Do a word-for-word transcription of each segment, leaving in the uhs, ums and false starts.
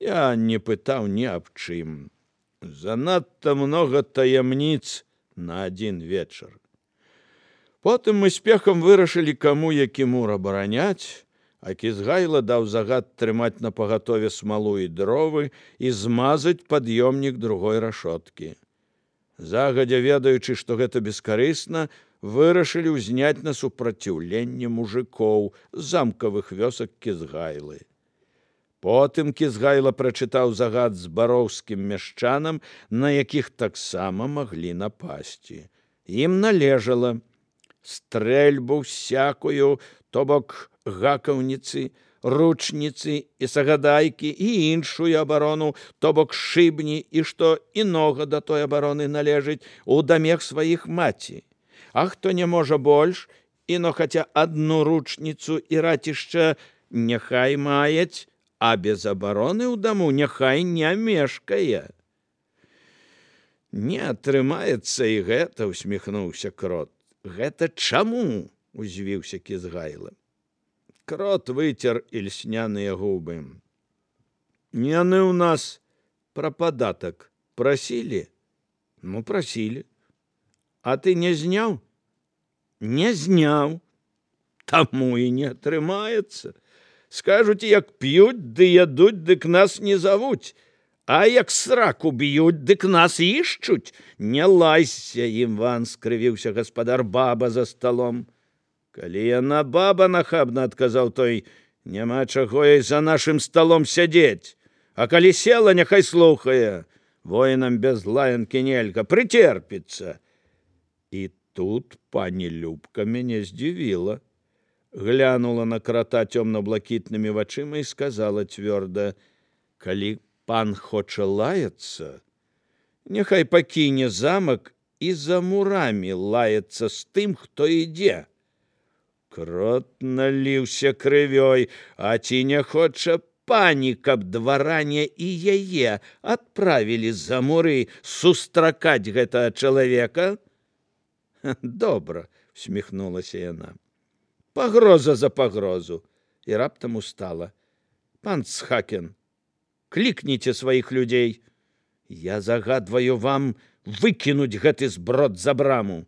Я не пытаў ні аб чым. Занадта многа таямніц на адзін вечар. Потым мы спехам вырашылі, каму які мур абараняць, а Кізгайла даў загад трымаць на пагатове смалу і дровы і змазаць пад'ёмнік другой рашоткі. Загадзя ведаючы, што гэта бескарысна, вырашылі ўзняць на супраціўленне мужикоў з замкавых вёсак Кізгайлы. Потым Кізгайла прачытаў загад збароўскім мяшчанам, на якіх таксама маглі напасці. Ім належала стрэльбу всякую, то бок гакаўніцы, ручніцы і сагадайкі і іншую абарону, то бок шыбні і што інога да той абароны належыць у дамех сваіх маці. А хто не можа больш, іно хаця адну ручніцу і ратішча няхай маюць, а без абароны ў даму няхай не мешкае. Не атрымаецца і гэта, усміхнуўся Крот. Гэта чаму? Узвіўся Кізгайла. Крот выцер ільсняныя губы. Яны ў нас пра падатак прасілі? Ну, прасілі. А ты не зняў? Не зняў. Таму і не атрымаецца. Скажуць, як п'юць, ды ядуць, дык нас не завуць. А як сраку б'юць, дык нас ішчуць. Не лайся, Іван, скрывіўся гаспадар баба за сталом. Калі яна баба, нахабна адказаў той, няма чаго ёй за нашым сталом сядзець. А калі села, няхай слухае. Воінам без лаянкі нельга, прыцерпіцца. І тут пані Любка мяне здзівіла. Глянула на Крота цёмна-блакітнымі вачыма і сказала цвёрда: калі пан хоча лаяцца, няхай пакіне замак і за мурамі лаяцца з тым, хто ідзе. Крот наліўся крывёй, а ці не хоча пані, каб дваране і яе адправілі за муры сустракаць гэтага чалавека? Добра, усміхнулася яна. Пагроза за пагрозу. І раптам устала. Пан Цхакен, клікніце сваіх людзей. Я загадваю вам выкінуць гэты зброд за браму.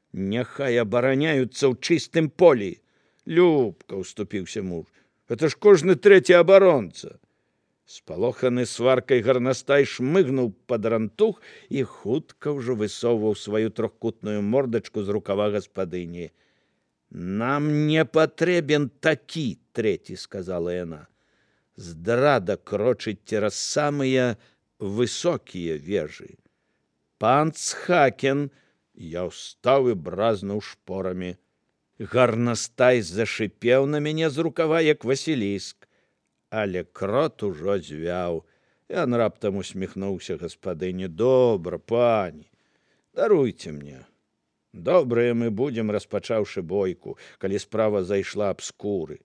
Няхай абараняюцца ў чыстым полі. Любка, уступіўся муж, гэта ж кожны трэці абаронца. Спалоханы сваркай гарнастай шмыгнуў пад рантух і хутка ўжо высоўваў сваю трохкутную мордачку з рукава гаспадыні. Нам не патрэбен такі, трэці, сказала яна. Здрада крочыць цераз самыя высокія вежы. Пан Цхакен, я ўстаў і бразнуў шпорамі. Гарнастай зашипеў на мяне з рукава, як Васіліск. Але Крот ужо звяў. Ён раптам усміхнуўся гаспадыні. Добра, пані, даруйце мне. Добрыя мы будзем, распачаўшы бойку, калі справа зайшла аб скуры.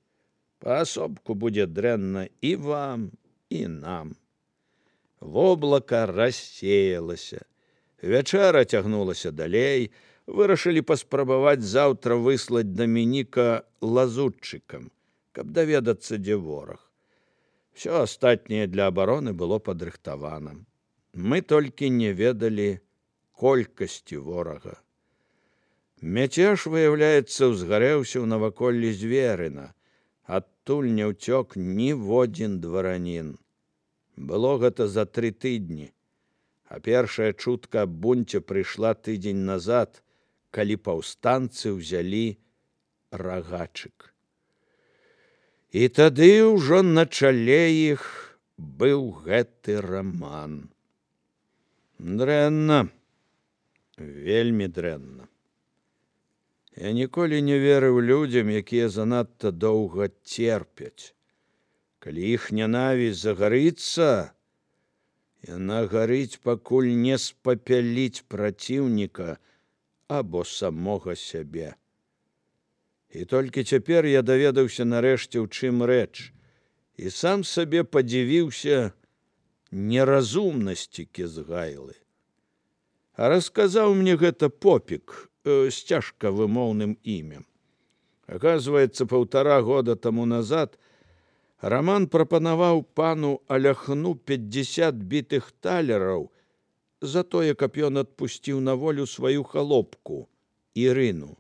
Паасобку будзе дрэнна і вам, і нам. Воблака рассеялася. Вячэра цягнулася далей, вырашылі паспрабаваць заўтра выслаць Дамініка лазутчыкам, каб даведацца, дзе вораг. Всё астатняе для абароны было падрыхтавана. Мы толькі не ведалі колькасці ворага. Мяцеж, выяўляецца, узгарэўся ў наваколлі Зверына. Адтуль не ўцёк ніводзін дваранін. Было гэта за тры тыдні. А першая чутка аб бунце прыйшла тыдзень назад, калі паўстанцы ўзялі Рагачык. І тады ўжо на чале іх быў гэты раман. Дрэнна, вельмі дрэнна. Я ніколі не верыў людзям, якія занадта доўга церпяць. Калі іх нянавісць загарыцца, яна гарыць, пакуль не спапяліць праціўніка або самога сябе. І толькі цяпер я даведаўся нарэшце, у чым рэч, і сам сабе падзівіўся неразумнасці Кізгайлы. А расказаў мне гэта Попік э, з цяжка вымоўным імем. Аказваецца, паўтара года таму назад Раман прапанаваў пану Аляхну пятьдесят бітых талераў за тое, каб ён адпусціў на волю сваю халопку Ірыну.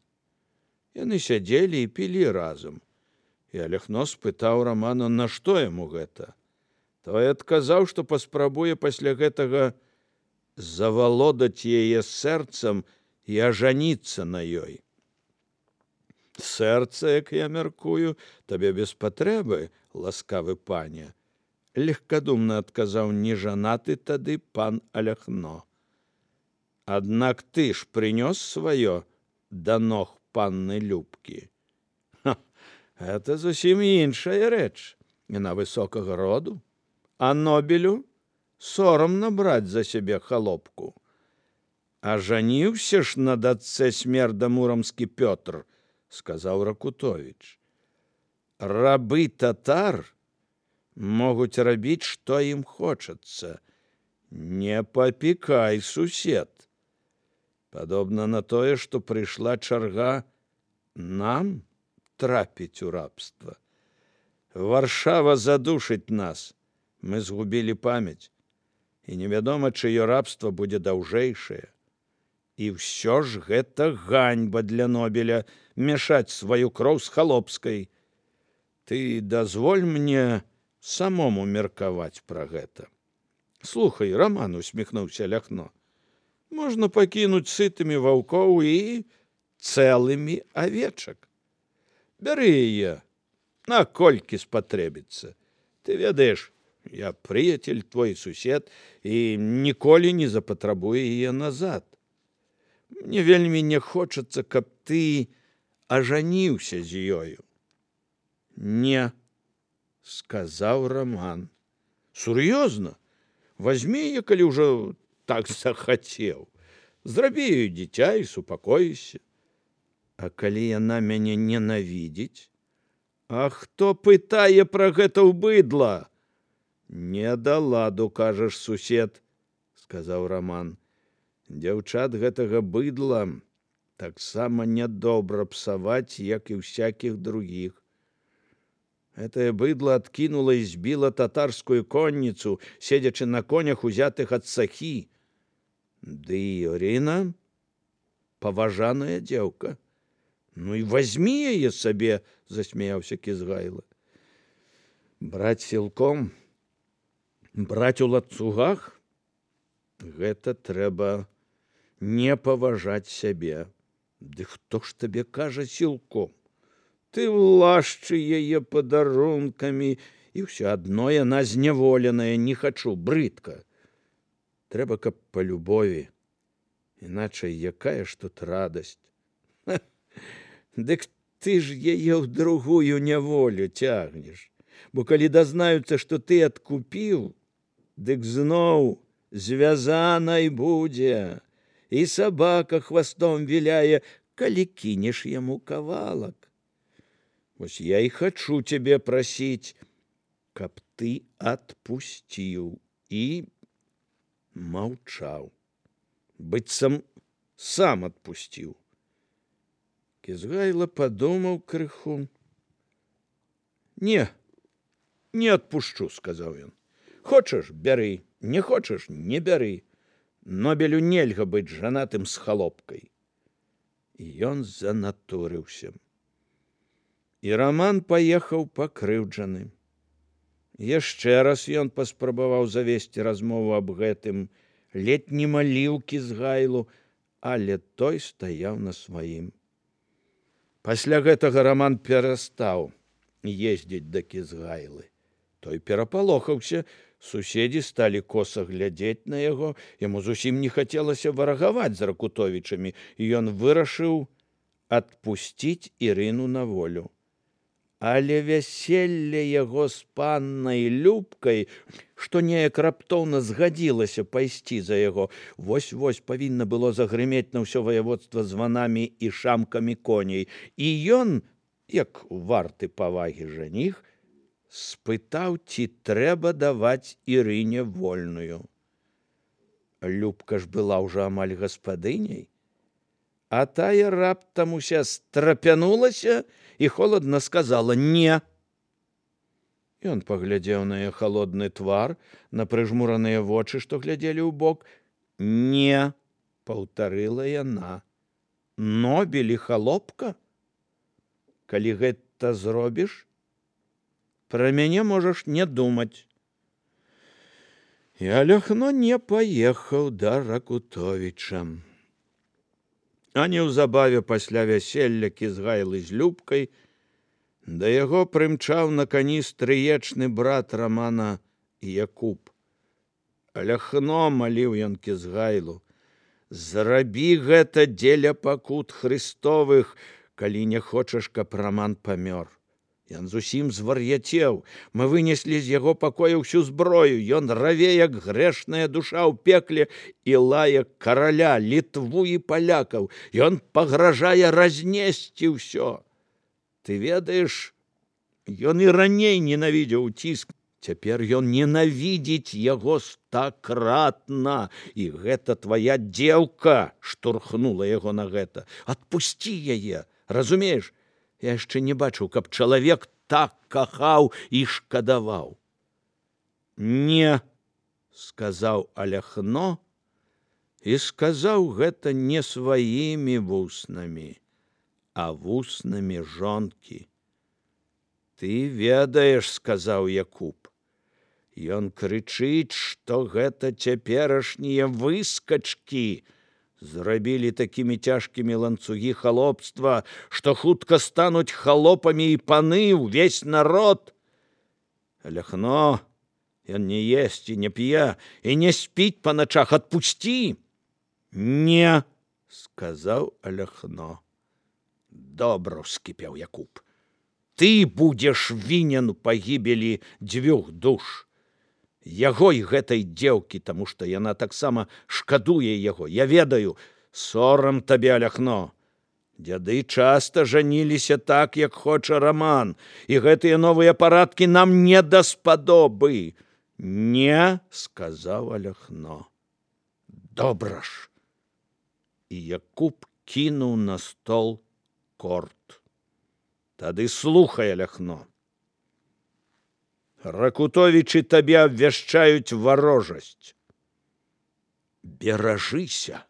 Яны сядзелі і пілі разам. І Аляхно спытаў Рамана, на што яму гэта. Той адказаў, што паспрабуе пасля гэтага завалодаць яе сэрцам і ажаніцца на ёй. Сэрца, як я мяркую, табе без патрэбы, ласкавы пане, легкадумна адказаў нежанаты тады пан Аляхно. Аднак ты ж прынёс сваё да ног панны Любкі. Ха, гэта зусім іншая рэч. Яна высокага роду, а Нобелю сорамна браць за сябе халопку. А жаніўся ж на дачцэ смерда муромскі Пётр, сказаў Ракутовіч. Рабы татар могуць рабіць, што ім хочацца. Не папікай, сусед. Падобна на тое, што прыйшла чарга нам трапіць у рабства. Варшава задушыць нас. Мы згубілі памяць. І невядома, чыё рабства будзе даўжэйшае. І ўсё ж гэта ганьба для Нобеля мяшаць сваю кроў з халопскай. Ты дазволь мне самому меркаваць пра гэта. Слухай, Раман, усміхнуўся Аляхно, можна пакінуць сытымі ваўкоў і цэлымі авечак. Бяры яе, наколькі спатрэбіцца. Ты ведаеш, я прыяцель, твой сусед, і ніколі не запатрабую яе назад. Мне вельмі не хочацца, каб ты ажаніўся з ёю. Не, сказаў Раман. Сур'ёзна? Возьми яе, калі ўжо так захацеў. Зрабі ёй дзіця і супакоіся. А калі яна мяне ненавідзіць? А хто пытае пра гэта ў быдла? Не да ладу, кажаш, сусед, сказаў Раман. Дзяўчат гэтага быдла таксама нядобра псаваць, як і ўсякіх другіх. Гэтае быдла адкінула і збіла татарскую конніцу, седзячы на конях, узятых ад сахі. Ды і Ірына паважаная дзеўка. Ну і возьмі яе сабе, засмяяўся Кізгайла. Браць сілком, браць у ланцугах? Гэта трэба не паважаць сябе. Ды хто ж табе кажа сілком? Ты лашчы яе падарункамі, і ўсё адно яна зняволеная, не хачу, брыдка. Трэба, каб па любові, іначай якая ж тут радасць. Ха, дык ты ж яе ў другую няволю цягнеш, бо калі дазнаюцца, што ты адкупіў, дык зноў звязанай будзе, і сабака хвастом віляе, калі кінеш яму кавалак. Вось я і хачу цябе прасіць, каб ты адпусціў і маўчаў. Быццам сам адпусціў. Кізгайла падумаў крыху. Не, не адпушчу, сказаў ён. Хочаш, бяры, не хочаш, не бяры. Нобелю нельга быць жанатым з халопкай. І ён занатурыўся. І Раман паехаў пакрыўджаны. Яшчэ раз ён паспрабаваў завесці размову аб гэтым, ледзь не маліў Кізгайлу, але той стаяў на сваім. Пасля гэтага Раман перастаў ездзіць да Кізгайлы. Той перапалохаўся, суседзі сталі коса глядзець на яго, яму зусім не хацелася варагаваць з Ракутовічамі, і ён вырашыў адпусціць Ірыну на волю. Але вяселле яго з паннай Любкай, што неяк раптоўна згадзілася пайсці за яго, вось-вось павінна было загрымець на ўсё ваяводства званамі і шамкамі коней. І ён, як варты павагі жаніх, спытаў, ці трэба даваць Ірыне вольную. Любка ж была ўжо амаль гаспадыняй, а тая раптам уся страпянулася і холадна сказала «не». Ён паглядзеў на яе халодны твар, на прыжмураныя вочы, што глядзелі ў бок. Не, паўтарыла яна. Нобель і халопка? Калі гэта зробіш, пра мяне можаш не думаць. І Аляхно не паехаў да Ракутовіча. А неўзабаве пасля вяселля Кізгайлы з Любкай да яго прымчаў на кані стрыечны брат Рамана Якуб. Аляхно, маліў ён Кізгайлу, зрабі гэта дзеля пакут Христовых, калі не хочаш, каб Раман памёр. Ён зусім звар'яцеў. Мы вынеслі з яго пакоя ўсю зброю. Ён раве, як грэшная душа ў пекле, і лае караля, Літву і палякаў. Ён пагражае разнесці ўсё. Ты ведаеш, ён і раней ненавідзеў ціск. Цяпер ён ненавідзіць яго стакратна. І гэта твая дзеўка штурхнула яго на гэта. Адпусці яе, разумееш? Я яшчэ не бачыў, каб чалавек так кахаў і шкадаваў. Не, сказаў Аляхно, і сказаў гэта не сваімі вуснамі, а вуснамі жонкі. Ты ведаеш, сказаў Якуб. Ён крычыць, што гэта цяперашнія выскачкі зрабілі такімі цяжкімі ланцугі халопства, што хутка стануць халопамі і паны, ўвесь народ. Аляхно, ён не есць і не п'е, і не спіць па начах, адпусці. Не, сказаў Аляхно. Добра, ўскіпеў Якуб. Ты будзеш вінен у пагібелі дзвюх душ. Яго і гэтай дзеўкі, таму што яна таксама шкадуе яго. Я ведаю, сорам табе, Аляхно. Дзяды часта жаніліся так, як хоча Раман, і гэтыя новыя парадкі нам не даспадобы. Не, сказаў Аляхно. Добра ж. І Якуб кінуў на стол корт. Тады слухай, Аляхно. Ракутовічы табе абвяшчаюць варожасць. Беражыся.